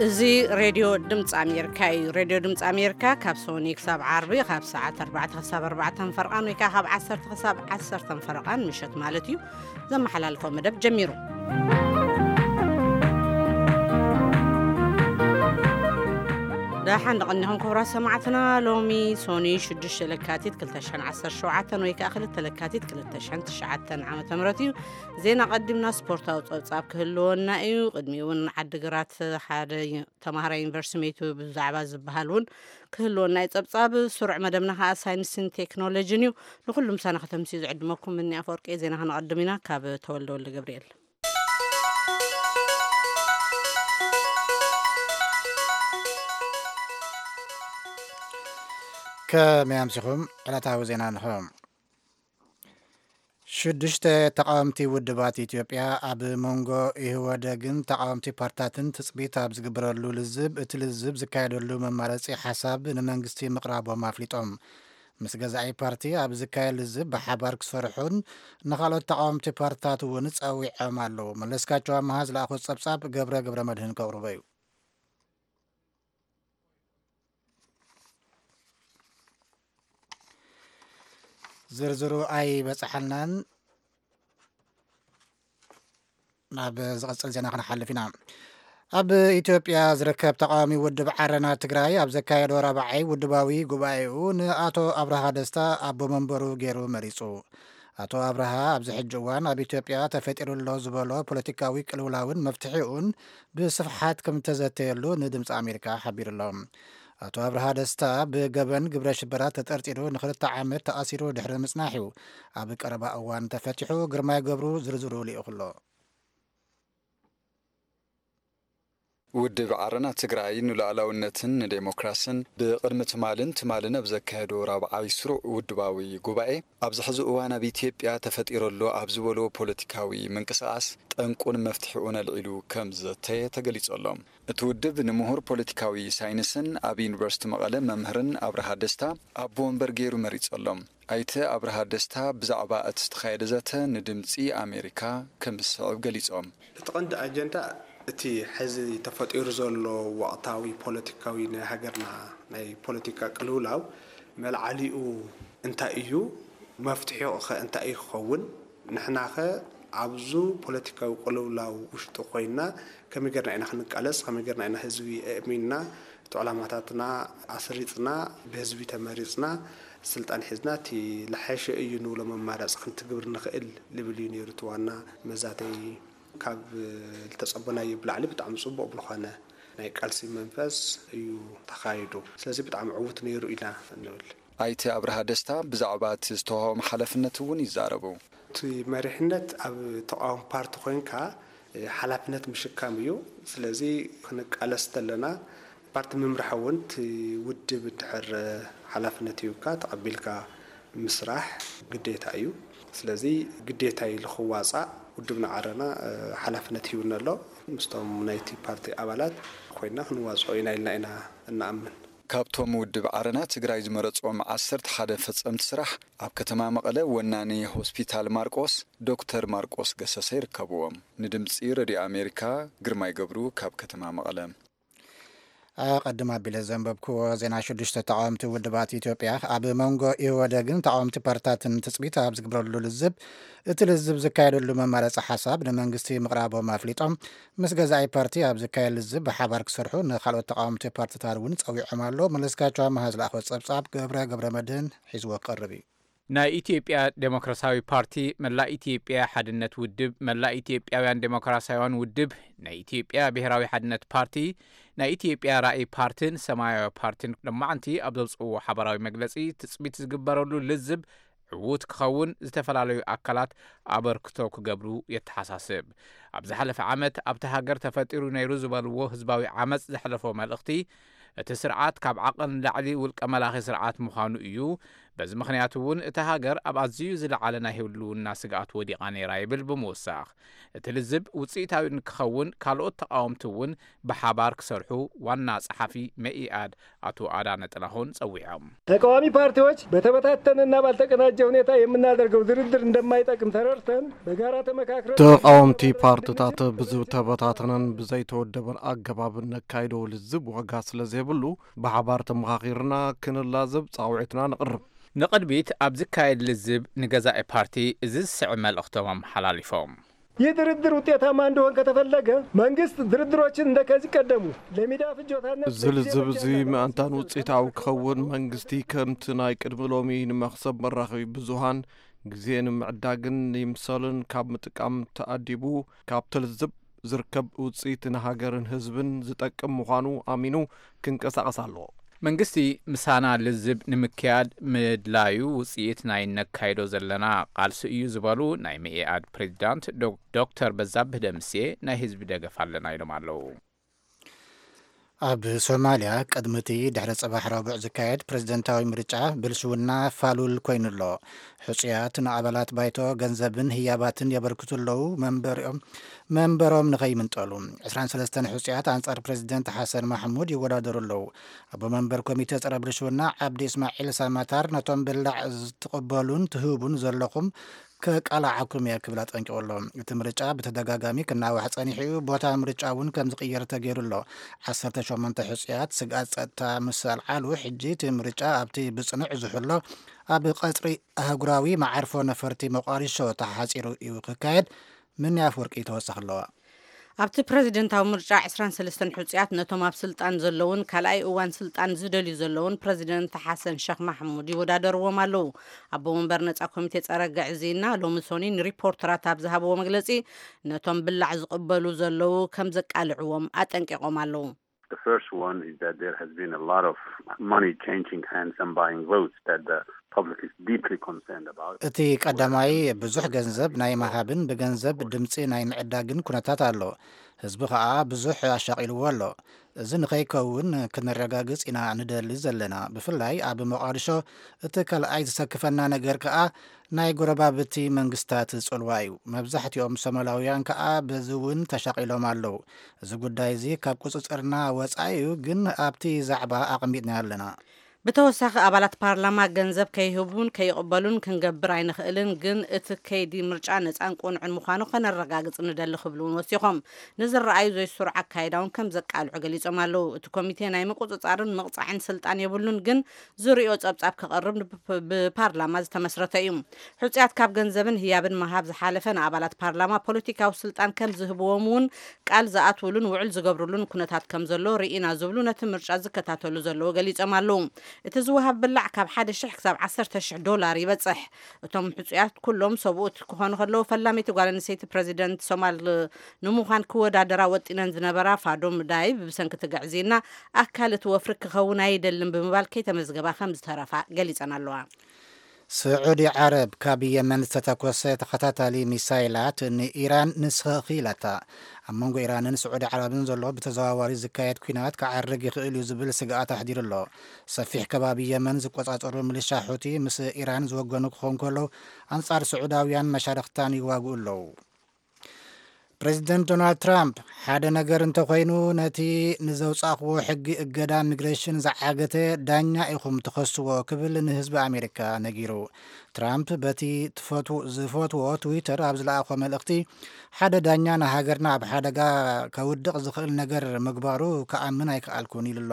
እዚ ሬድዮ ድምፂ ኣሜሪካ እዩ። ሬድዮ ድምፂ ኣሜሪካ ካብ ሰኒ ክሳብ ዓርቢ ካብ ሰዓት ኣርባዕተ ክሳብ ኣርባዕተ ፈረቓን ወይ ከዓ ካብ ዓሰርተ ክሳብ ዓሰርተ ፈረቓን ምሸት ማለት እዩ ዘመሓላልፎ መደብ ጀሚሩ። ደሓን ደቐኒኹም ክቡራት ሰማዕትና። ሎሚ ሶኒ ሽዱሽተ ለካቲት ክልተ ሽሕን ዓሰርተ ሸውዓተን ወይ ከዓ ክልተ ለካቲት ክልተ ሽሕን ትሽዓተን ዓመተ ምህረት እዩ። ዜና ቀዲምና ስፖርታዊ ጸብጻብ ክህልወና እዩ። ቅድሚኡ እውን ዓዲግራት ሓደ ተማሃራይ ዩኒቨርሲቲ መይቱ ብዛዕባ ዝበሃል እውን ክህልወና እዩ ጸብጻብ። ስሩዕ መደብና ከዓ ሳይንስን ቴክኖሎጂን እዩ። ንኹሉ ምሳና ከተምስዩ ዝዕድመኩም እኒ ኣፈወርቂ። ዜና ከነቐድም ኢና ካብ ተወልደ ወልደ ገብርኤል። ከመይ ኣምሲኹም? ዕለታዊ ዜና ንኹም። ሽዱሽተ ተቃወምቲ ውድባት ኢትዮጵያ ኣብ መንጎ ኢህወደግን ተቃወምቲ ፓርትታትን ትጽቢት ኣብ ዝግበረሉ ልዝብ፣ እቲ ልዝብ ዝካየደሉ መማረጺ ሓሳብ ንመንግስቲ ምቕራቦም ኣፍሊጦም። ምስ ገዛኢ ፓርቲ ኣብ ዝካየድ ልዝብ ብሓባር ክሰርሑን ንኻልኦት ተቃወምቲ ፓርትታት እውን ጸዊዖም ኣለዉ። መለስካቸው ኣመሃ ዝለኣኾ ጸብጻብ ገብረ ገብረ መድህን ከቕርቦ እዩ። ዝርዝሩ ኣይበጽሓልናን። ናብ ዝቐጽል ዜና ክንሓልፍ ኢና። ኣብ ኢትዮጵያ ዝርከብ ተቃዋሚ ውድብ ዓረና ትግራይ ኣብ ዘካየዶ ራብዓይ ውድባዊ ጉባኤኡ ንኣቶ ኣብርሃ ደስታ ኣቦ መንበሩ ገይሩ መሪጹ። ኣቶ ኣብርሃ ኣብዚ ሕጂ እዋን ኣብ ኢትዮጵያ ተፈጢሩ ኣሎ ዝበሎ ፖለቲካዊ ቅልውላውን መፍትሒኡን ብስፍሓት ከም እተዘተየሉ ንድምፂ ኣሜሪካ ሓቢሩ ኣሎ። ኣቶ ኣብርሃ ደስታ ብገበን ግብረ ሽበራ ተጠርጢሩ ንክልተ ዓመት ተኣሲሩ ድሕሪ ምጽናሕ እዩ ኣብ ቀረባ እዋን ተፈቲሑ። ግርማይ ገብሩ ዝርዝሩ ልኢኹ ኣሎ። ውድብ ዓረና ትግራይ ንሉዓላውነትን ንዴሞክራስን ብቕድሚ ትማልን ትማልን ኣብ ዘካየዶ ራብዓይ ስሩዕ ውድባዊ ጉባኤ፣ ኣብዚ ሕዚ እዋን ኣብ ኢትዮጵያ ተፈጢሩ ኣሎ ኣብ ዝበሎ ፖለቲካዊ ምንቅስቓስ ጠንቁን መፍትሒኡን ኣልዒሉ ከም ዝዘተየ ተገሊጹ ኣሎ። እቲ ውድብ ንምሁር ፖለቲካዊ ሳይንስን ኣብ ዩኒቨርሲቲ መቐለ መምህርን ኣብርሃ ደስታ ኣቦ ወንበር ገይሩ መሪጹ ኣሎ። ኣይተ ኣብርሃ ደስታ ብዛዕባ እቲ ዝተኻየደ ዘተ ንድምጺ ኣሜሪካ ከም ዝስዕብ ገሊጾም። እቲ ቀንዲ ኣጀንዳ እቲ ሕዚ ተፈጢሩ ዘሎ ወቕታዊ ፖለቲካዊ ናይ ሃገርና ናይ ፖለቲካ ቅልውላው መልዓሊኡ እንታይ እዩ፣ መፍትሒኡ ኸ እንታይ እዩ ክኸውን፣ ንሕናኸ ኣብዚ ፖለቲካዊ ቅልውላው ውሽጢ ኮይና ከመይ ጌርና ኢና ክንቃለስ፣ ከመይ ጌርና ኢና ህዝቢ ኣእሚንና እቲ ዕላማታትና ኣስሪጽና ብህዝቢ ተመሪጽና ስልጣን ሒዝና እቲ ለሓሸ እዩ ንብሎ መማረፂ ክንትግብር ንኽእል ልብል እዩ ነይሩ እቲ ዋና መዛተይ። ካብ ዝተጸበናዮ ብላዕሊ ብጣዕሚ ጽቡቕ ብልኾነ ናይ ቃልሲ መንፈስ እዩ ተኻይዱ። ስለዚ ብጣዕሚ ዕዉት ነይሩ ኢና እንብል። ኣይተ ኣብርሃ ደስታ ብዛዕባ እቲ ዝተዋህቦም ሓላፍነት እውን ይዛረቡ። እቲ መሪሕነት ኣብ ተቃዋሚ ፓርቲ ኮይንካ ሓላፍነት ምሽካም እዩ። ስለዚ ክንቃለስ ተለና ፓርቲ ምምራሕ እውን እቲ ውድብ እንድሕር ሓላፍነት ሂብካ ተቐቢልካ ምስራሕ ግዴታ እዩ። ስለዚ ግዴታ ኢሉ ክዋፃእ ውድብና ዓረና ሓላፍነት ሂቡና ኣሎ። ምስቶም ናይቲ ፓርቲ ኣባላት ኮይና ክንዋፅኦ ኢና ኢልና ኢና እንኣምን። ካብቶም ውድብ ዓረና ትግራይ ዝመረፅዎም ዓሰርተ ሓደ ፈፀምቲ ስራሕ ኣብ ከተማ መቐለ ወናኒ ሆስፒታል ማርቆስ ዶክተር ማርቆስ ገሰሰ ይርከብዎም። ንድምፂ ረድዮ ኣሜሪካ ግርማይ ገብሩ ካብ ከተማ መቐለ። ኣቐድም ኣቢለ ዘንበብክዎ ዜና ሽዱሽተ ተቃወምቲ ውድባት ኢትዮጵያ ኣብ መንጎ ኢህወደግን ተቃወምቲ ፓርትታትን ትጽቢት ኣብ ዝግበረሉ ልዝብ፣ እቲ ልዝብ ዝካየደሉ መማረፂ ሓሳብ ንመንግስቲ ምቕራቦም ኣፍሊጦም። ምስ ገዛኢ ፓርቲ ኣብ ዝካየድ ልዝብ ብሓባር ክሰርሑ ንካልኦት ተቃወምቲ ፓርትታት እውን ጸዊዖም ኣሎ። መለስካቸው ኣመሃ ዝለኣኾ ጸብጻብ ገብረ ገብረ መድህን ሒዝዎ ክቐርብ እዩ። ናይ ኢትዮጵያ ዴሞክራሲያዊ ፓርቲ፣ መላእ ኢትዮጵያ ሓድነት ውድብ፣ መላእ ኢትዮጵያውያን ዴሞክራሲያውያን ውድብ፣ ናይ ኢትዮጵያ ብሔራዊ ሓድነት ፓርቲ፣ ናይ ኢትዮጵያ ራእይ ፓርቲን ሰማያዊ ፓርቲን ሎማዕንቲ ኣብ ዘውፅእዎ ሓባራዊ መግለፂ ትፅቢት ዝግበረሉ ልዝብ ዕዉት ክኸውን ዝተፈላለዩ ኣካላት ኣበርክቶ ክገብሩ የተሓሳስብ። ኣብ ዝሓለፈ ዓመት ኣብቲ ሃገር ተፈጢሩ ነይሩ ዝበልዎ ህዝባዊ ዓመፅ ዘሕለፎ መልእኽቲ፣ እቲ ስርዓት ካብ ዓቐን ንላዕሊ ውልቀ መላኺ ስርዓት ምዃኑ እዩ። በዚ ምኽንያት እውን እታ ሃገር ኣብ ኣዝዩ ዝለዓለ ናይ ህልውና ስግኣት ወዲቓ ነይራ ይብል ብምውሳኽ፣ እቲ ልዝብ ውፅኢታዊ ንክኸውን ካልኦት ተቓወምቲ እውን ብሓባር ክሰርሑ ዋና ጸሓፊ መኢኣድ ኣቶ ኣዳነ ጥላሁን ጸዊዖም። ተቃዋሚ ፓርቲዎች በተበታተነና ባልተቀናጀ ሁኔታ የምናደርገው ድርድር እንደማይጠቅም ተረድተን በጋራ ተመካክረን ተቃወምቲ ፓርትታት ብዝተበታተነን ብዘይተወደበን ኣገባብ ነካይዶ ልዝብ ዋጋ ስለ ዘይብሉ ብሓባር ተመኻኺርና ክንላዘብ ጻውዒትና ንቕርብ። ንቕድሚት ኣብ ዝካየድ ልዝብ ንገዛኢ ፓርቲ እዚ ዝስዕብ መልእኽቶም ኣመሓላሊፎም። ይህ ድርድር ውጤታማ እንዲሆን ከተፈለገ መንግስት ድርድሮችን እንደከዚህ ቀደሙ ለሚዳ ፍጆታነት እዚ ልዝብ እዚ ምእንታን ውፅኢታዊ ክኸውን መንግስቲ ከምቲ ናይ ቅድሚ ሎሚ ንመኽሰብ መራኸቢ ብዙሃን ግዜ ንምዕዳግን ይምሰልን ካብ ምጥቃም ተኣዲቡ ካብቲ ልዝብ ዝርከብ ውፅኢት ንሃገርን ህዝብን ዝጠቅም ምዃኑ ኣሚኑ ክንቀሳቐስ ኣለዎ። መንግስቲ ምሳና ልዝብ ንምክያድ ምድላዩ ውፅኢት ናይ ነካይዶ ዘለና ቃልሲ እዩ ዝበሉ ናይ መኢኣድ ፕሬዚዳንት ዶክተር በዛብህ ደምሴ ናይ ህዝቢ ደገፍ ኣለና ኢሎም ኣለዉ። ኣብ ሶማልያ ቅድሚ እቲ ድሕሪ ጽባሕ ረቡዕ ዝካየድ ፕሬዝደንታዊ ምርጫ ብልሽውና ፋሉል ኮይኑ ኣሎ። ሕጹያት ንኣባላት ባይቶ ገንዘብን ህያባትን የበርክቱ ኣለዉ። መንበሮም ንኸይምንጠሉ ዕስራን ሰለስተን ሕጹያት ኣንጻር ፕሬዝደንት ሓሰን ማሕሙድ ይወዳደሩ ኣለዉ። ኣቦ መንበር ኮሚቴ ጸረ ብልሽውና ዓብዲ እስማዒል ሳማታር ነቶም ብላዕ ዝትቕበሉን ትህቡን ዘለኹም ከቃላዓኩም እየ ክብል ኣጠንቂቑ ኣሎ። እቲ ምርጫ ብተደጋጋሚ ክናዋሕ ጸኒሑ እዩ። ቦታ ምርጫ እውን ከም ዝቕየር ተገይሩ ኣሎ። ዓሰርተ ሸሞንተ ሕጹያት ስግኣት ጸጥታ ምስ ኣልዓሉ ሕጂ እቲ ምርጫ ኣብቲ ብጽኑዕ ዝሕሎ ኣብ ቀጽሪ ኣህጉራዊ መዓርፎ ነፈርቲ ሞቃዲሾ ተሓጺሩ እዩ ክካየድ። ምኒ ኣፍወርቂ ተወሳኺ ኣለዋ። ኣብቲ ፕረዚደንታዊ ምርጫ ዕስራን ሰለስተን ሕጹያት ነቶም ኣብ ስልጣን ዘለውን ካልኣይ እዋን ስልጣን ዝደልዩ ዘለውን ፕረዚደንት ሓሰን ሸኽ ማሕሙድ ይወዳደርዎም ኣለዉ። ኣቦ ወንበር ነጻ ኮሚቴ ጸረ ግዕዝይና ሎሚ ሶኒ ንሪፖርተራት ኣብ ዝሃብዎ መግለጺ ነቶም ብላዕ ዝቕበሉ ዘለዉ ከም ዘቃልዕዎም ኣጠንቂቖም ኣለዉ። The first one is that there has been a lot of money changing hands and buying votes that the public is deeply concerned about. እቲ ቀዳማይ ብዙሕ ገንዘብ ናይ ምሃብን ብገንዘብ ድምጺ ናይ ምዕዳግን ኩነታት ኣሎ። ህዝቢ ከኣ ብዙሕ ኣሻቒልዎ ኣሎ። እዚ ንኸይከውን ክነረጋግጽ ኢና ንደሊ ዘለና። ብፍላይ ኣብ መቓድሾ እቲ ካልኣይ ዝሰክፈና ነገር ከኣ ናይ ጎረባብቲ መንግስታት ጽልዋ እዩ። መብዛሕትኦም ሶማላውያን ከኣ በዚ እውን ተሻቒሎም ኣለዉ። እዚ ጉዳይ እዚ ካብ ቁጽጽርና ወጻኢ እዩ፣ ግን ኣብቲ ዛዕባ ኣቐሚጥና ኣለና። ብተወሳኺ ኣባላት ፓርላማ ገንዘብ ከይህቡን ከይቕበሉን ክንገብር ኣይንኽእልን፣ ግን እቲ ከይዲ ምርጫ ነጻን ቅኑዕን ምዃኑ ከነረጋግጽ ንደሊ ክብሉ እውን ወሲኾም። ንዝረኣዩ ዘይስሩዕ ኣካይዳ እውን ከም ዘቃልዑ ገሊጾም ኣለዉ። እቲ ኮሚቴ ናይ ምቁጽጻርን ምቕጻዕን ስልጣን የብሉን፣ ግን ዝርእዮ ጸብጻብ ከቕርብ ብፓርላማ ዝተመስረተ እዩ። ሕጹያት ካብ ገንዘብን ህያብን ምሃብ ዝሓለፈ ንኣባላት ፓርላማ ፖለቲካዊ ስልጣን ከም ዝህብዎም እውን ቃል ዝኣትውሉን ውዕል ዝገብርሉን ኩነታት ከም ዘሎ ርኢና ዝብሉ ነቲ ምርጫ ዝከታተሉ ዘለዉ ገሊጾም ኣለዉ። እቲ ዝወሃብ ብላዕ ካብ ሓደ ሽሕ ክሳብ ዓሰርተ ሽሕ ዶላር ይበጽሕ። እቶም ሕጹያት ኩሎም ሰብኡት ክኾኑ ከለዉ ፈላመይቲ ጓል ኣንስተይቲ ፕረዚደንት ሶማል ንምዃን ክወዳደራ ወጢነን ዝነበራ ፋዶም ዳይብ ብሰንኪ ትግዕዝይና ኣካል እቲ ወፍሪ ክኸውን ኣይደልን ብምባል ከይተመዝገባ ከም ዝተረፋ ገሊጸን ኣለዋ። ስዑዲ ዓረብ ካብ የመን ዝተተኮሰ ተኸታታሊ ሚሳይላት ንኢራን ንስኺ ኢላታ። ኣብ መንጎ ኢራንን ስዑዲ ዓረብን ዘሎ ብተዘዋዋሪ ዝካየድ ኲናት ክዓርግ ይኽእል እዩ ዝብል ስግኣት ኣሕዲሩ ኣሎ። ሰፊሕ ከባቢ የመን ዝቆጻጸሩ ሚሊሻ ሑቲ ምስ ኢራን ዝወገኑ ክኾኑ ከለዉ ኣንጻር ስዑዳውያን መሻርኽታን ይዋግኡ ኣለዉ። ፕሬዚደንት ዶናልድ ትራምፕ ሓደ ነገር እንተኾይኑ ነቲ ንዘውጻእኽዎ ሕጊ እገዳ ሚግሬሽን ዝዓገተ ዳኛ ኢኹም ትኸስዎ ክብል ንህዝቢ ኣሜሪካ ነጊሩ። ትራምፕ በቲ ዝፈትዎ ትዊተር ኣብ ዝለኣኾ መልእኽቲ ሓደ ዳኛ ንሃገርና ኣብ ሓደጋ ከውድቕ ዝኽእል ነገር ምግባሩ ክኣምን ኣይከኣልኩን ኢሉ ኣሎ።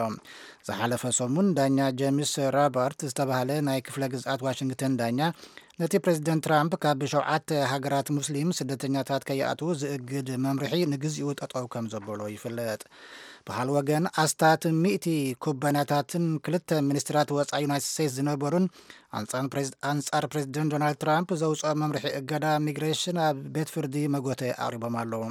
ዝሓለፈ ሰሙን ዳኛ ጀምስ ራባርት ዝተባህለ ናይ ክፍለ ግዝኣት ዋሽንግተን ዳኛ ነቲ ፕሬዚደንት ትራምፕ ካብ ሸውዓተ ሃገራት ሙስሊም ስደተኛታት ከይኣትዉ ዝእግድ መምርሒ ንግዚኡ ጠጠው ከም ዘበሎ ይፍለጥ። ብኻል ወገን ኣስታት ሚእቲ ኩባንያታትን ክልተ ሚኒስትራት ወፃኢ ዩናይትድ ስቴትስ ዝነበሩን ኣንጻር ፕሬዚደንት ዶናልድ ትራምፕ ዘውፅኦ መምርሒ እገዳ ሚግሬሽን ኣብ ቤት ፍርዲ መጎተ ኣቕሪቦም ኣለዉ።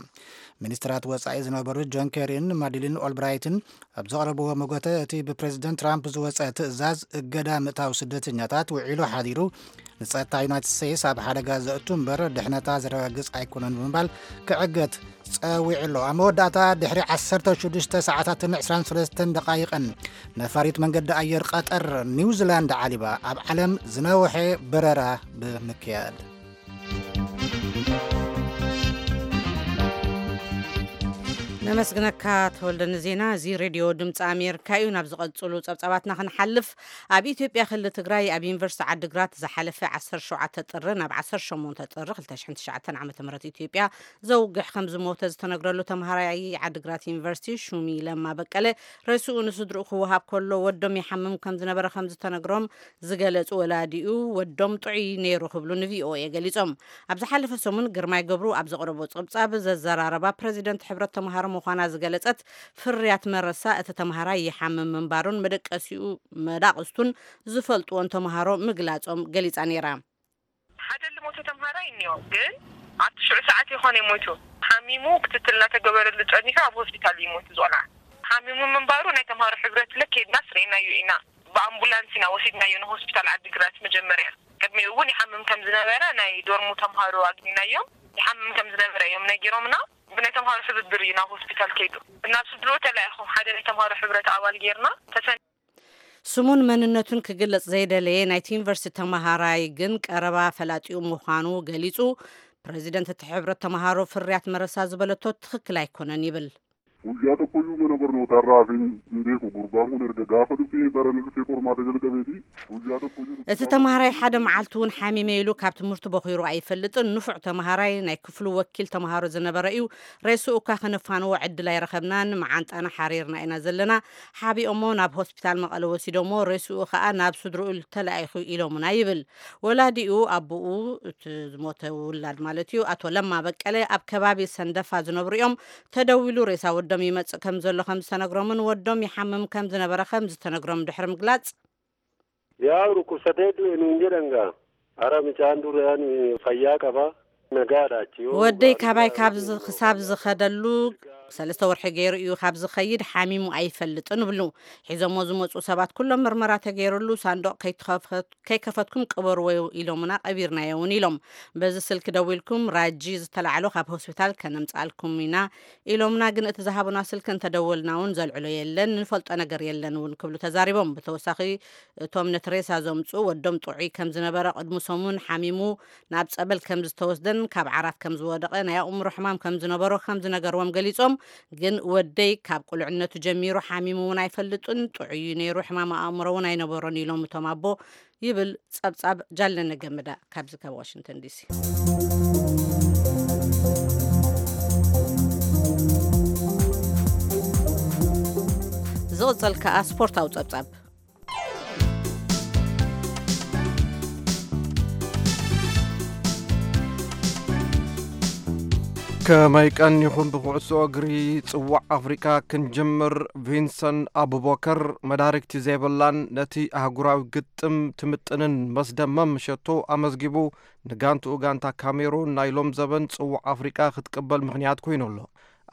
ሚኒስትራት ወፃኢ ዝነበሩ ጆን ኬሪን ማዲሊን ኦልብራይትን ኣብ ዘቕረብዎ መጎተ እቲ ብፕሬዚደንት ትራምፕ ዝወፀ ትእዛዝ እገዳ ምእታው ስደተኛታት ውዒሉ ሓዲሩ ንጸጥታ ዩናይትድ ስቴትስ ኣብ ሓደጋ ዘእቱ እምበር ድሕነታ ዘረጋግጽ ኣይኮነን ብምባል ክዕገት ጸዊዑ ኣሎ። ኣብ መወዳእታ ድሕሪ ዓሰርተ ሽዱሽተ ሰዓታትን ዕስራን ሰለስተን ደቓይቕን ነፋሪት መንገዲ ኣየር ቀጠር ኒውዚላንድ ዓሊባ ኣብ ዓለም ዝነውሐ በረራ ብምክያድ። ነመስግነካ ተወልደ ንዜና። እዚ ሬድዮ ድምፂ ኣሜሪካ እዩ። ናብ ዝቐፅሉ ፀብፃባትና ክንሓልፍ፣ ኣብ ኢትዮጵያ ክልል ትግራይ ኣብ ዩኒቨርሲቲ ዓድግራት ዝሓለፈ ዓሰርተ ሸውዓተ ጥሪ ናብ ዓሰርተ ሸሞንተ ጥሪ ክልተ ሽሕን ትሽዓተን ዓመተ ምህረት ኢትዮጵያ ዘውግሕ ከም ዝሞተ ዝተነግረሉ ተምሃራይ ዓድግራት ዩኒቨርሲቲ ሹሚ ለማ በቀለ ሬስኡ ንስድርኡ ክወሃብ ከሎ ወዶም ይሓምም ከም ዝነበረ ከም ዝተነግሮም ዝገለጹ ወላዲኡ፣ ወዶም ጥዑይ ነይሩ ክብሉ ንቪኦኤ ገሊጾም። ኣብ ዝሓለፈ ሰሙን ግርማይ ገብሩ ኣብ ዘቕረቦ ጸብጻብ፣ ዘዘራረባ ፕረዚደንት ሕብረት ተምሃሮ ምዃና ዝገለጸት ፍርያት መረሳ፣ እቲ ተምሃራይ ይሓምም ምንባሩን መደቀሲኡ መዳቕስቱን ዝፈልጥዎን ተምሃሮ ምግላጾም ገሊጻ ነይራ። ሓደ ልሞተ ተምሃራይ እኒኦ፣ ግን ኣብቲ ሽዑ ሰዓት ይኾነ ሞይቱ። ሓሚሙ ክትትል እናተገበረሉ ጸኒሑ ኣብ ሆስፒታል እዩ ሞይቱ ዝቖልዓ። ሓሚሙ ምንባሩ ናይ ተምሃሮ ሕብረት ልክ ኬድና ስርኢናዮ ኢና። ብኣምቡላንስ ኢና ወሲድናዮ ንሆስፒታል ዓዲግራት መጀመርያ። ቅድሚኡ እውን ይሓምም ከም ዝነበረ ናይ ዶርሙ ተምሃሮ ኣግኒናዮም። ይሓምም ከም ዝነበረ እዮም ነጊሮምና። ብናይ ተምሃሮ ሕብብር እዩ ናብ ሆስፒታል ከይዱ። ናብ ስድርኡ ተላኢኹ። ሓደ ናይ ተምሃሮ ሕብረት ኣባል ጌርና ተሰን ስሙን መንነቱን ክግለጽ ዘይደለየ ናይቲ ዩኒቨርሲቲ ተመሃራይ ግን ቀረባ ፈላጢኡ ምዃኑ ገሊጹ። ፕረዚደንት እቲ ሕብረት ተመሃሮ ፍርያት መረሳ ዝበለቶ ትኽክል ኣይኮነን ይብል። Guyyaa tokkoyyuu mana barnootaarraa hafeen hin beeku. Gurbaan kun erga gaafa dhufee barana dhufee qormaata jalqabeeti. Guyyaa tokkoyyuu እቲ ተመሃራይ ሓደ መዓልቲ እውን ሓሚመ ኢሉ ካብ ትምህርቲ በኺሩ ኣይፈልጥን። ንፉዕ ተመሃራይ፣ ናይ ክፍሉ ወኪል ተመሃሮ ዝነበረ እዩ። ሬስኡ እኳ ከነፋንዎ ዕድል ኣይረኸብናን። መዓንጣና ሓሪርና ኢና ዘለና። ሓቢኦሞ ናብ ሆስፒታል መቐለ ወሲዶሞ፣ ሬስኡ ኸኣ ናብ ስድርኡ ተላኢኹ ኢሎምና ይብል። ወላዲኡ፣ ኣቦኡ፣ እቲ ዝሞተ ውላድ ማለት እዩ፣ ኣቶ ለማ በቀለ፣ ኣብ ከባቢ ሰንደፋ ዝነብሩ እዮም። ተደዊሉ ሬሳ ወዶም ይመጽእ ከም ዘሎ ከም ዝተነግሮምን ወዶም ይሓምም ከም ዝነበረ ከም ዝተነግሮም ድሕሪ ምግላጽ፣ Yaa dhukkubsatee du'e nuun jedhan gaa. Ara mucaan duraan fayyaa qaba. Nagaadha achi yoo ወደይ ካባይ ካብ ዝ-፣ ክሳብ ዝኸደሉ ሰለስተ ወርሒ ገይሩ እዩ። ካብ ዝኸይድ ሓሚሙ ኣይፈልጥን ይብሉ። ሒዞሞ ዝመጹ ሰባት ኩሎም ምርመራ ተገይሩሉ ሳንዱቕ ከይትኸፈት-፣ ከይከፈትኩም ቅበርዎ ኢሎምና፣ ቀቢርናዮ እውን ኢሎም። በዚ ስልኪ ደዊልኩም ራጂ ዝተላዕሎ ካብ ሆስፒታል ከነምጽኣልኩም ኢና ኢሎምና፣ ግን እቲ ዝሃቡና ስልኪ እንተደወልና እውን ዘልዕሎ የለን፣ ንፈልጦ ነገር የለን እውን ክብሉ ተዛሪቦም። ብተወሳኺ እቶም ነቲ ሬሳ ዘምጽኡ ወዶም ጥዑይ ከም ዝነበረ፣ ቅድሚ ሰሙን ሓሚሙ ናብ ጸበል ከም ዝተወስደን ካብ ዓራት ከም ዝወደቐ፣ ናይ ኣእምሮ ሕማም ከም ዝነበሮ ከም ዝነገርዎም ገሊጾም። ግን ወደይ ካብ ቁልዕነቱ ጀሚሩ ሓሚሙ እውን ኣይፈልጥን፣ ጥዑይ እዩ ነይሩ፣ ሕማም ኣእምሮ እውን ኣይነበሮን ኢሎም እቶም ኣቦ ይብል ጸብጻብ ጃለነ ገመዳ ካብዚ ካብ ዋሽንግተን ዲሲ። ዝቕጸል ከኣ ስፖርታዊ ጸብጻብ። ከመይ ቀኒኹም? ብኩዕሶ እግሪ ጽዋዕ ኣፍሪቃ ክንጅምር፣ ቪንሰንት ኣቡበከር መዳርግቲ ዘይብላን ነቲ ኣህጉራዊ ግጥም ትምጥንን መስደመም ሸቶ ኣመዝጊቡ፣ ንጋንትኡ ጋንታ ካሜሩን ናይ ሎም ዘበን ጽዋዕ ኣፍሪቃ ክትቅበል ምኽንያት ኮይኑ ኣሎ።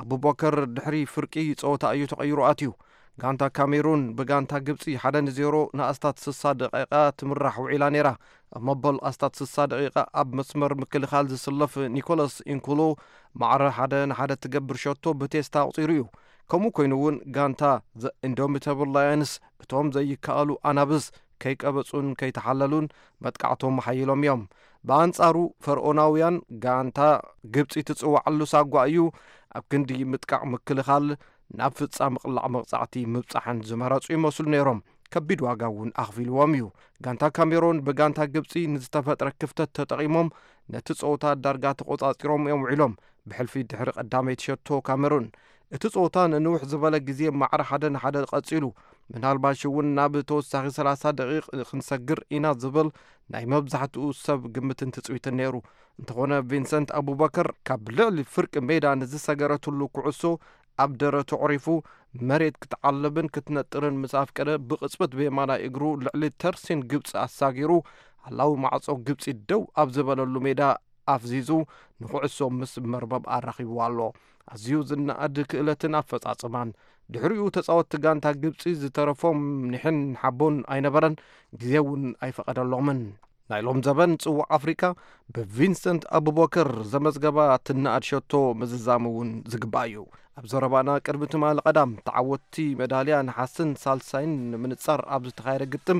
ኣቡበከር ድሕሪ ፍርቂ ጸወታ እዩ ተቐይሩ ኣትዩ። ጋንታ ካሜሩን ብጋንታ ግብጺ ሓደ ንዜሮ ንኣስታት ስሳ ደቂቓ ትምራሕ ውዒላ ነይራ። ኣብ መበል ኣስታት ስሳ ደቂቓ ኣብ መስመር ምክልኻል ዝስለፍ ኒኮላስ ኢንኩሎ ማዕረ ሓደ ንሓደ ትገብር ሸቶ ብቴስታ ኣቑጺሩ እዩ። ከምኡ ኮይኑ እውን ጋንታ ዘ ኢንዶሚተብል ላየንስ እቶም ዘይከኣሉ ኣናብስ ከይቀበጹን ከይተሓለሉን መጥቃዕቶም ሓይሎም እዮም። ብኣንጻሩ ፈርኦናውያን ጋንታ ግብጺ ትጽዋዓሉ ሳጓ እዩ። ኣብ ክንዲ ምጥቃዕ ምክልኻል ናብ ፍጻ ምቕላዕ መቕጻዕቲ ምብጻሕን ዝመረጹ ይመስሉ ነይሮም። ከቢድ ዋጋ እውን ኣኽፊልዎም እዩ። ጋንታ ካሜሮን ብጋንታ ግብጺ ንዝተፈጥረ ክፍተት ተጠቒሞም ነቲ ጸወታ ዳርጋ ተቖጻጺሮም እዮም ውዒሎም። ብሕልፊ ድሕሪ ቀዳመይቲ ሸቶ ካሜሩን እቲ ጸወታ ንንውሕ ዝበለ ግዜ ማዕረ ሓደ ንሓደ ቀጺሉ። ምናልባሽ እውን ናብ ተወሳኺ ሰላሳ ደቂቕ ክንሰግር ኢና ዝብል ናይ መብዛሕትኡ ሰብ ግምትን ትጽቢትን ነይሩ። እንተኾነ ቪንሰንት ኣቡበከር ካብ ልዕሊ ፍርቂ ሜዳ ንዝሰገረትሉ ኩዕሶ ኣብ ደረቱ ኣዕሪፉ መሬት ክትዓልብን ክትነጥርን ምስ ኣፍቀደ ብቕጽበት ብየማናይ እግሩ ልዕሊ ተርሲን ግብጺ ኣሳጊሩ ሃላዊ ማዕጾ ግብጺ ደው ኣብ ዝበለሉ ሜዳ ኣፍዚዙ ንኹዕሶ ምስ መርበብ ኣራኺብዋ ኣሎ። ኣዝዩ ዝነኣድ ክእለትን ኣፈጻጽማን። ድሕሪኡ ተጻወትቲ ጋንታ ግብጺ ዝተረፎም ኒሕን ሓቦን ኣይነበረን፣ ግዜ እውን ኣይፈቐደሎምን። ናይ ሎም ዘበን ጽዋዕ ኣፍሪቃ ብቪንሰንት ኣቡበከር ዘመዝገባ ትነኣድ ሸቶ ምዝዛም እውን ዝግባእ እዩ። ኣብ ዘረባና ቅድሚ ትማሊ ቀዳም ተዓወትቲ መዳልያ ነሓስን ሳልሳይን ንምንጻር ኣብ ዝተኻየደ ግጥም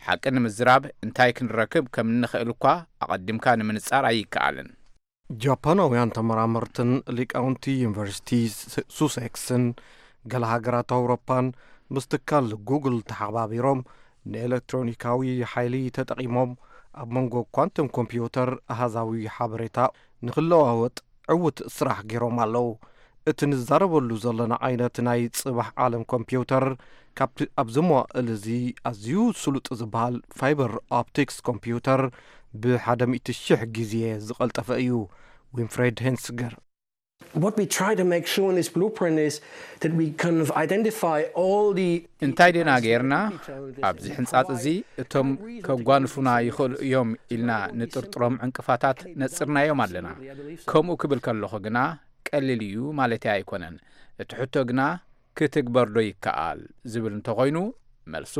ሓቂ ንምዝራብ እንታይ ክንረክብ ከም እንኽእል እኳ ኣቐዲምካ ንምንጻር ኣይከኣልን። ጃፓናውያን ተመራመርትን ሊቃውንቲ ዩኒቨርሲቲ ሱሴክስን ገለ ሃገራት ኣውሮፓን ምስ ትካል ጉግል ተሓባቢሮም ንኤሌክትሮኒካዊ ሓይሊ ተጠቒሞም ኣብ መንጎ ኳንተም ኮምፒውተር ኣሃዛዊ ሓበሬታ ንኽለዋወጥ ዕዉት ስራሕ ገይሮም ኣለዉ። እቲ ንዛረበሉ ዘለና ዓይነት ናይ ጽባሕ ዓለም ኮምፒውተር ካብቲ ኣብዚ መዋእል እዚ ኣዝዩ ስሉጥ ዝበሃል ፋይበር ኦፕቲክስ ኮምፒውተር ብሓደ ሚእቲ ሽሕ ግዜ ዝቐልጠፈ እዩ። ዊንፍሬድ ሄንስገር What we try to make sure in this blueprint is that we kind of identify all the እንታይ ደና ገይርና ኣብዚ ሕንጻጽ እዚ እቶም ከጓንፉና ይኽእሉ እዮም ኢልና ንጥርጥሮም ዕንቅፋታት ነጽርናዮም ኣለና። ከምኡ ክብል ከለኹ ግና ቀሊል እዩ ማለት ኣይኮነን። እቲ ሕቶ ግና ክትግበር ዶ ይከኣል ዝብል እንተኾይኑ መልሱ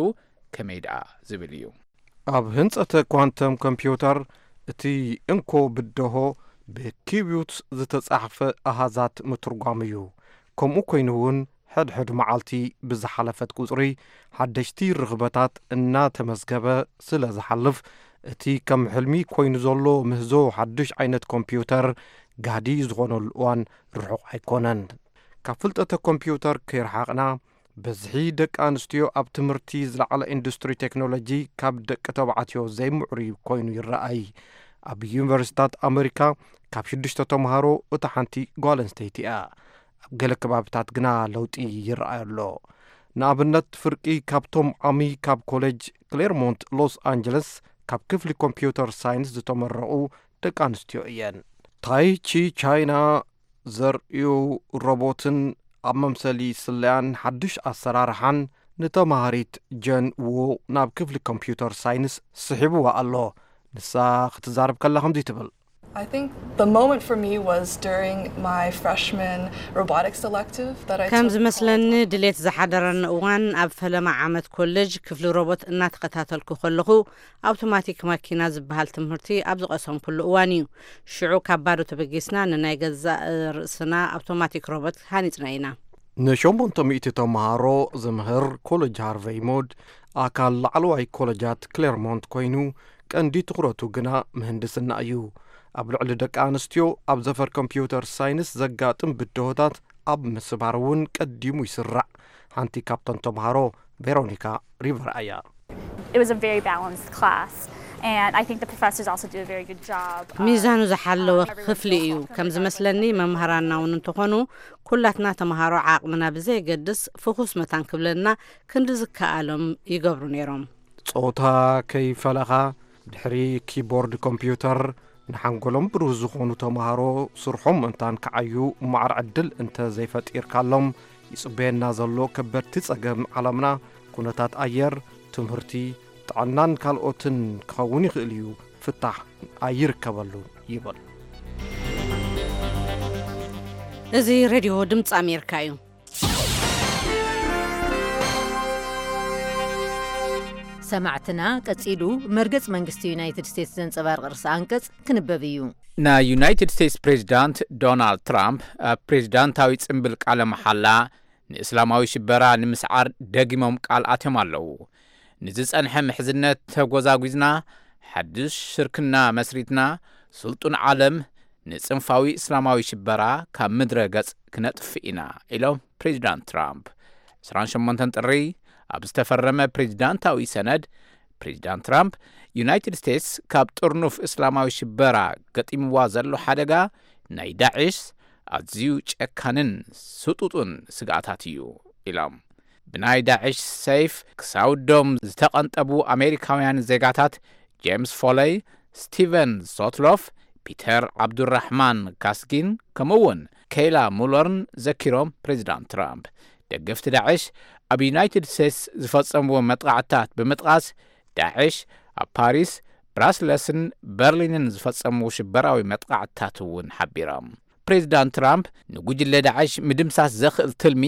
ከመይ ደኣ ዝብል እዩ። ኣብ ህንጸተ ኳንተም ኮምፒውተር እቲ እንኮ ብደሆ ብኪቢዩት ዝተጻሕፈ ኣሃዛት ምትርጓም እዩ። ከምኡ ኮይኑ እውን ሕድሕድ መዓልቲ ብዝሓለፈት ቁጽሪ ሓደሽቲ ርኽበታት እናተመዝገበ ስለ ዝሓልፍ እቲ ከም ሕልሚ ኮይኑ ዘሎ ምህዞ ሓድሽ ዓይነት ኮምፒውተር ጋህዲ ዝኾነሉ እዋን ርሑቕ ኣይኮነን። ካብ ፍልጠተ ኮምፒውተር ከይረሓቕና ብዝሒ ደቂ ኣንስትዮ ኣብ ትምህርቲ ዝለዓለ ኢንዱስትሪ ቴክኖሎጂ ካብ ደቂ ተባዕትዮ ዘይምዕሩይ ኮይኑ ይረኣይ። ኣብ ዩኒቨርሲታት ኣመሪካ ካብ ሽዱሽተ ተምሃሮ እታ ሓንቲ ጓል ኣንስተይቲ እያ። ኣብ ገለ ከባብታት ግና ለውጢ ይረኣይ ኣሎ። ንኣብነት ፍርቂ ካብቶም ዓሚ ካብ ኮሌጅ ክሌርሞንት ሎስ ኣንጀለስ ካብ ክፍሊ ኮምፒውተር ሳይንስ ዝተመረቑ ደቂ ኣንስትዮ እየን። ታይቺ ቻይና ዘርእዩ ሮቦትን ኣብ መምሰሊ ስለያን ሓድሽ ኣሰራርሓን ንተማሃሪት ጀን ዎ ናብ ክፍሊ ኮምፒውተር ሳይንስ ስሒብዋ ኣሎ። ንሳ ክትዛረብ ከላ ከምዚ ትብል። I think the moment for me was during my freshman robotics elective that I ከም took ዝመስለኒ called ድሌት ዝሓደረኒ እዋን ኣብ ፈለማ ዓመት ኮሌጅ ክፍሊ ሮቦት እናተኸታተልኩ ከለኹ ኣውቶማቲክ ማኪና ዝበሃል ትምህርቲ ኣብ ዝቐሰምኩሉ እዋን እዩ። ሽዑ ካብ ባዶ ተበጊስና ንናይ ገዛእ ርእስና ኣውቶማቲክ ሮቦት ሃኒጽና ኢና። ንሸሞንተ ሚእቲ ተምሃሮ ዝምህር ኮሌጅ ሃርቨይ ሞድ ኣካል ላዕለዋይ ኮሌጃት ክሌርሞንት ኮይኑ ቀንዲ ትኹረቱ ግና ምህንድስና እዩ። ኣብ ልዕሊ ደቂ ኣንስትዮ ኣብ ዘፈር ኮምፒውተር ሳይንስ ዘጋጥም ብድሆታት ኣብ ምስባር እውን ቀዲሙ ይስራዕ። ሓንቲ ካብተን ተምሃሮ ቬሮኒካ ሪቨር ኣያ። It was a very balanced class, and I think the professors also do a very good job. ሚዛኑ ዝሓለወ ክፍሊ እዩ። ከም ዝመስለኒ መምህራንና እውን እንተኾኑ ኩላትና ተምሃሮ ዓቕምና ብዘየገድስ ፍኹስ መታን ክብለና ክንዲ ዝከኣሎም ይገብሩ ነይሮም። ጾታ ከይፈለኻ ድሕሪ ኪቦርድ ኮምፒውተር ንሓንጎሎም ብሩህ ዝኾኑ ተምሃሮ ስርሖም ምእንታን ክዓዩ ማዕረ ዕድል እንተ ዘይፈጢርካሎም ይጽበየና ዘሎ ከበድቲ ጸገም ዓለምና ኩነታት ኣየር፣ ትምህርቲ፣ ጥዕናን ካልኦትን ክኸውን ይኽእል እዩ። ፍታሕ ኣይርከበሉን ይብል። እዚ ሬድዮ ድምፂ ኣሜሪካ እዩ። ሰማዕትና ቀጺሉ መርገጽ መንግስቲ ዩናይትድ ስቴትስ ዘንጸባርቕ ርእሰ ኣንቀጽ ክንበብ እዩ። ናይ ዩናይትድ ስቴትስ ፕሬዚዳንት ዶናልድ ትራምፕ ኣብ ፕሬዚዳንታዊ ጽምብል ቃለ መሓላ ንእስላማዊ ሽበራ ንምስዓር ደጊሞም ቃል ኣትዮም ኣለዉ። ንዝጸንሐ ምሕዝነት ተጎዛጒዝና፣ ሓድሽ ሽርክና መስሪትና፣ ስልጡን ዓለም ንጽንፋዊ እስላማዊ ሽበራ ካብ ምድረ ገጽ ክነጥፍእ ኢና ኢሎም ፕሬዚዳንት ትራምፕ። ዕስራን ሸሞንተን ጥሪ ኣብ ዝተፈረመ ፕሬዚዳንታዊ ሰነድ ፕሬዚዳንት ትራምፕ ዩናይትድ ስቴትስ ካብ ጥርኑፍ እስላማዊ ሽበራ ገጢምዋ ዘሎ ሓደጋ ናይ ዳዕሽ ኣዝዩ ጨካንን ስጡጡን ስግኣታት እዩ ኢሎም። ብናይ ዳዕሽ ሰይፍ ክሳውዶም ዝተቐንጠቡ ኣሜሪካውያን ዜጋታት ጄምስ ፎለይ፣ ስቲቨን ሶትሎፍ፣ ፒተር ዓብዱራሕማን ካስጊን ከምኡውን ኬይላ ሙለርን ዘኪሮም ፕሬዚዳንት ትራምፕ ደገፍቲ ዳዕሽ ኣብ ዩናይትድ ስቴትስ ዝፈጸምዎ መጥቓዕትታት ብምጥቓስ ዳዕሽ ኣብ ፓሪስ፣ ብራስለስን በርሊንን ዝፈጸምዎ ሽበራዊ መጥቓዕትታት እውን ሓቢሮም። ፕሬዚዳንት ትራምፕ ንጉጅለ ዳዕሽ ምድምሳስ ዘኽእል ትልሚ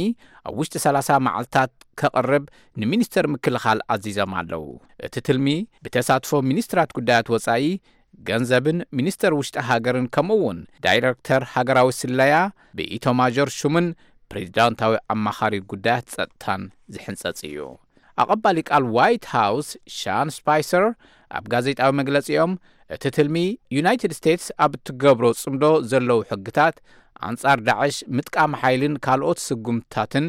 ኣብ ውሽጢ ሰላሳ መዓልታት ከቕርብ ንሚኒስተር ምክልኻል ኣዚዞም ኣለዉ። እቲ ትልሚ ብተሳትፎ ሚኒስትራት ጉዳያት ወጻኢ፣ ገንዘብን ሚኒስተር ውሽጢ ሃገርን ከምኡውን ዳይረክተር ሃገራዊ ስለያ ብኢቶማዦር ሹምን ፕሬዚዳንታዊ ኣማኻሪ ጉዳያት ጸጥታን ዝሕንጸጽ እዩ። ኣቐባሊ ቃል ዋይት ሃውስ ሻን ስፓይሰር ኣብ ጋዜጣዊ መግለጺኦም፣ እቲ ትልሚ ዩናይትድ ስቴትስ ኣብ እትገብሮ ጽምዶ ዘለዉ ሕግታት ኣንጻር ዳዕሽ፣ ምጥቃም ሓይልን ካልኦት ስጉምትታትን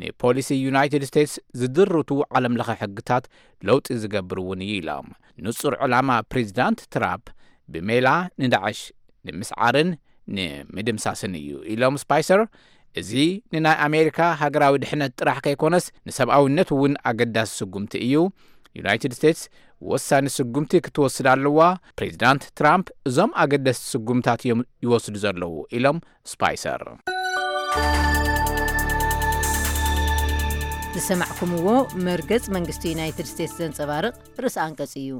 ንፖሊሲ ዩናይትድ ስቴትስ ዝድርቱ ዓለምለኸ ሕግታት ለውጢ ዝገብር እውን እዩ ኢሎም። ንጹር ዕላማ ፕሬዚዳንት ትራምፕ ብሜላ ንዳዕሽ ንምስዓርን ንምድምሳስን እዩ ኢሎም ስፓይሰር። እዚ ንናይ ኣሜሪካ ሃገራዊ ድሕነት ጥራሕ ከይኮነስ ንሰብኣውነት እውን ኣገዳሲ ስጉምቲ እዩ። ዩናይትድ ስቴትስ ወሳኒ ስጉምቲ ክትወስድ ኣለዋ። ፕሬዚዳንት ትራምፕ እዞም ኣገደስቲ ስጉምታት እዮም ይወስዱ ዘለዉ ኢሎም ስፓይሰር። ዝሰማዕኩምዎ መርገጽ መንግስቲ ዩናይትድ ስቴትስ ዘንጸባርቕ ርእሲ ኣንቀጽ እዩ።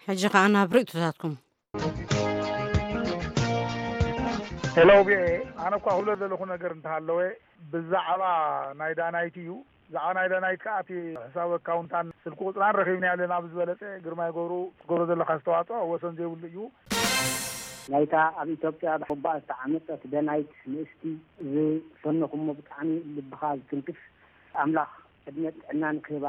ሕጂ ኸኣ ናብ ርእይቶታትኩም። ሄሎ ቪኦኤ፣ ኣነ እኳ ክብሎ ዘለኹ ነገር እንተሃለወ ብዛዕባ ናይ ዳናይት እዩ። ብዛዕባ ናይ ዳናይት ከኣ እቲ ሕሳብ ኣካውንታን ስልኪ ቁፅራን ረኺብና ኣለና። ብዝበለፀ ግርማይ ገብሩ ትገብሮ ዘለካ ኣስተዋፅኦ ወሰን ዘይብሉ እዩ። ናይታ ኣብ ኢትዮጵያ ብሓባኣ ዝተዓመጸት ደናይት ንእስቲ ዝፈነኹሞ ብጣዕሚ ልብኻ ዝትንክፍ፣ ኣምላኽ ዕድመን ጥዕናን ክህባ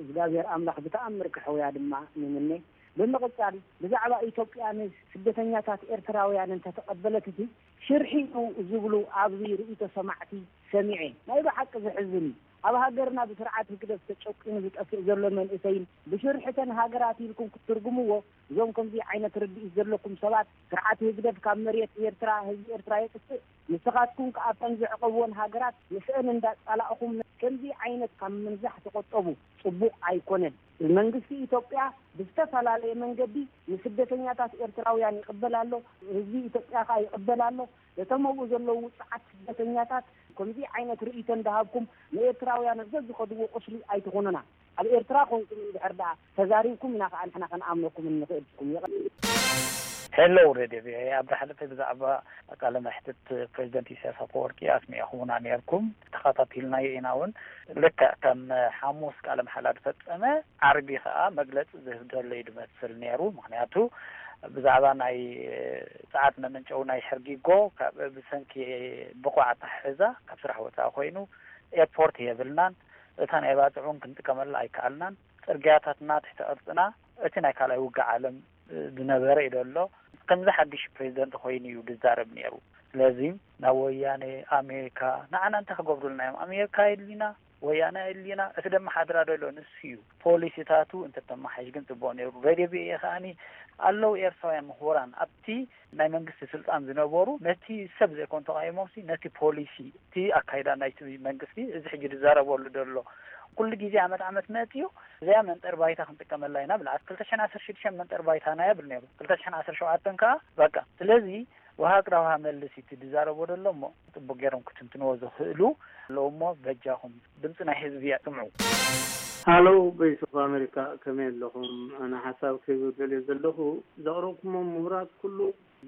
እግዚኣብሔር ኣምላኽ ብተኣምር ክሕውያ ድማ ንምነ። ብምቕጻል ብዛዕባ ኢትዮጵያ ንስደተኛታት ኤርትራውያን እንተተቐበለት እቲ ሽርሒ እዩ ዝብሉ ኣብዚ ርእይቶ ሰማዕቲ ሰሚዐ። ናይ ብሓቂ ዘሕዝን እዩ። ኣብ ሃገርና ብስርዓት ህግደፍ ተጨቂኑ ዝጠፍእ ዘሎ መንእሰይን ብሽርሕተን ሃገራት ኢልኩም ክትትርጉምዎ እዞም ከምዚ ዓይነት ርድኢት ዘለኩም ሰባት ስርዓት ህግደፍ ካብ መሬት ኤርትራ ህዝቢ ኤርትራ የጥፍእ ንስኻትኩም ከኣ ኣብተን ዘዕቐብወን ሃገራት ንስአን እንዳጻላእኹም ከምዚ ዓይነት ካብ ምንዛሕ ተቖጠቡ። ጽቡቕ ኣይኮነን። መንግስቲ ኢትዮጵያ ብዝተፈላለየ መንገዲ ንስደተኛታት ኤርትራውያን ይቕበል ኣሎ፣ ህዝቢ ኢትዮጵያ ከኣ ይቕበል ኣሎ። እቶም ኣብኡ ዘለዉ ውጹዓት ስደተኛታት ከምዚ ዓይነት ርእይቶ እንዳሃብኩም ንኤርትራውያን ኣብ ዘዝኸድዎ ቁስሊ ኣይትኹኑና። ኣብ ኤርትራ ኮንኩም እንድሕር ደኣ ተዛሪብኩም ኢና ከኣ ንሕና ክንኣምነኩም እንኽእል ኢልኩም። የቐ- ሄሎ ሬድዮ ቪኦኤ፣ ኣብ ዝሓለፈ ብዛዕባ ቃለ መሕትት ፕሬዚደንት ኢሳያስ ኣፈወርቂ ኣስሚዕኹምና ነይርኩም፣ ተኸታቲልናዮ ኢና እውን። ልክዕ ከም ሓሙስ ቃለ መሓላ ዝፈጸመ ዓርቢ ከኣ መግለጺ ዝህብ ዘሎ እዩ ዝመስል ነይሩ። ምኽንያቱ ብዛዕባ ናይ ጸዓት መመንጨዊ ናይ ሕርጊጎ ካብ ብሰንኪ ብቑዕ ኣተሓሕዛ ካብ ስራሕ ወጻኢ ኮይኑ ኤርፖርት የብልናን፣ እታ ናይ ባጽዕ እውን ክንጥቀመላ ኣይከኣልናን፣ ጽርግያታትና ትሕቲ ቅርጽና እቲ ናይ ካልኣይ ውግእ ዓለም ዝነበረ እዩ ዘሎ። ከምዚ ሓድሽ ፕሬዚደንት ኮይኑ እዩ ዝዛረብ ነይሩ። ስለዚ ናብ ወያነ ኣሜሪካ ንዓና እንታይ ክገብሩልና እዮም? ኣሜሪካ የድሊና፣ ወያነ የድሊና፣ እቲ ደመሓድራ ዘሎ ንሱ እዩ። ፖሊሲታቱ እንተተመሓይሽ ግን ጽቡቕ ነይሩ። ሬድዮ ቪኦኤ ከኣኒ ኣለዉ ኤርትራውያን ምሁራን ኣብቲ ናይ መንግስቲ ስልጣን ዝነበሩ ነቲ ሰብ ዘይኮን ተቃይሞምሲ ነቲ ፖሊሲ እቲ ኣካይዳ ናይቲ መንግስቲ እዚ ሕጂ ዝዛረበሉ ዘሎ ኩሉ ግዜ ዓመት ዓመት መፅዩ እዚኣ መንጠር ባይታ ክንጥቀመላ ኢና ብላ ክልተ ሽሕን ዓሰርተ ሽዱሽተን መንጠር ባይታና እያ ብል ነይሩ ክልተ ሽሕን ዓሰርተ ሸውዓተን ከዓ በቃ ስለዚ ውሃ ቅዳ ውሃ መልስ እቲ ዝዛረቦ ዘሎ እሞ ፅቡቅ ገይሮም ክትንትንዎ ዝኽእሉ ኣለዉ እሞ በጃኹም ድምፂ ናይ ህዝቢ ስምዑ። ሃሎ ቮይስ ኦፍ ኣሜሪካ ከመይ ኣለኹም? ኣነ ሓሳብ ክህብ ደልየ ዘለኹ ዘቕረብኩሞም ምሁራት ኩሉ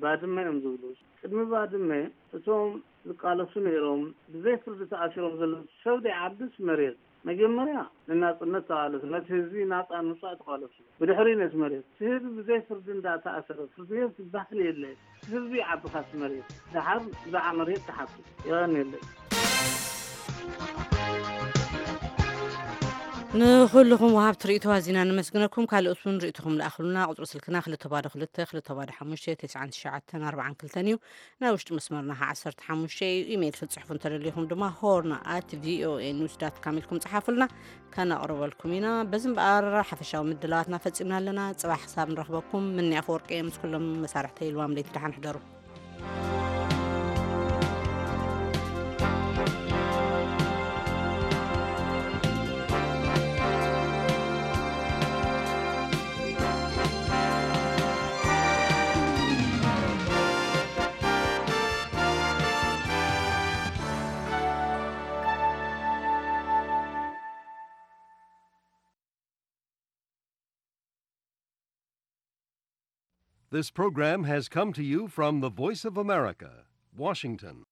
ባድመ እዮም ዝብሉ። ቅድሚ ባድመ እቶም ዝቃለሱ ነይሮም ብዘይ ፍርዲ ተኣሲሮም ዘለዉ ሰብ ደይ ዓድስ መሬት መጀመርያ ንናጽነት ተቓለሱ፣ ነቲ ህዝቢ ናጻ ንምውጻእ ተቓለሱ። ብድሕሪ ነቲ መሬት እቲ ህዝቢ ብዘይ ፍርዲ እንዳተኣሰረ ፍርዲ ቤት ዝበሃል የለ። እቲ ህዝቢ ይዓቢ ካብቲ መሬት። ደሓር ብዛዕባ መሬት ትሓቱ። የቐንየለይ። ንኹልኹም ወሃብቲ ርእይቶ ኣዚና ነመስግነኩም። ካልኦት እውን ርእይቶኹም ለኣኽሉና። ቁጽሪ ስልክና ክልተ ባዶ ክልተ ክልተ ባዶ ሓሙሽተ ተስዓን ትሽዓተን ኣርባዓን ክልተን እዩ። ናይ ውሽጢ መስመርና ከዓ ዓሰርተ ሓሙሽተ እዩ። ኢሜይል ክትጽሕፉ እንተደሊኹም ድማ ሆርን ኣት ቪኦኤ ኒውስ ዳት ካም ኢልኩም ጽሓፉልና፣ ከነቕርበልኩም ኢና። በዚ እምበኣር ሓፈሻዊ ምድላዋትና ፈጺምና ኣለና። ጽባሕ ክሳብ ንረኽበኩም ምኒ ኣፈወርቂ ምስ ኩሎም መሳርሕተይ ልዋም ለይቲ ደሓን ሕደሩ። This program has come to you from the Voice of America, Washington.